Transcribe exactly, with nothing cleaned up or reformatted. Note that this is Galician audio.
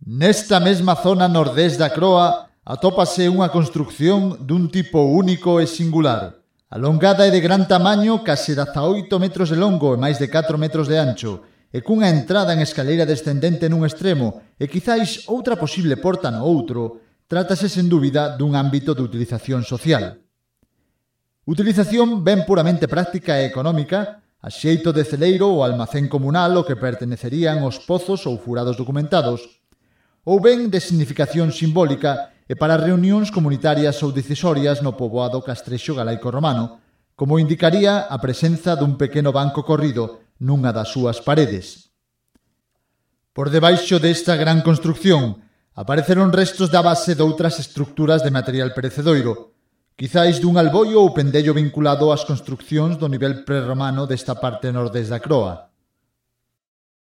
Nesta mesma zona nordés da Croa atópase unha construcción dun tipo único e singular. Alongada e de gran tamaño, case dezaoito metros de longo e máis de catro metros de ancho, e cunha entrada en escaleira descendente nun extremo e quizáis outra posible porta no outro, trátase sen dúbida dun ámbito de utilización social. Utilización ben puramente práctica e económica, a xeito de celeiro ou almacén comunal ao que pertenecerían os pozos ou furados documentados, ou ben de significación simbólica e para reunións comunitarias ou decisorias no poboado castrexo galaico romano, como indicaría a presenza dun pequeno banco corrido nunha das súas paredes. Por debaixo desta gran construcción apareceron restos da base doutras estructuras de material perecedoiro, quizáis dun alboio ou pendello vinculado ás construccións do nivel prerromano desta parte nordés da Croa.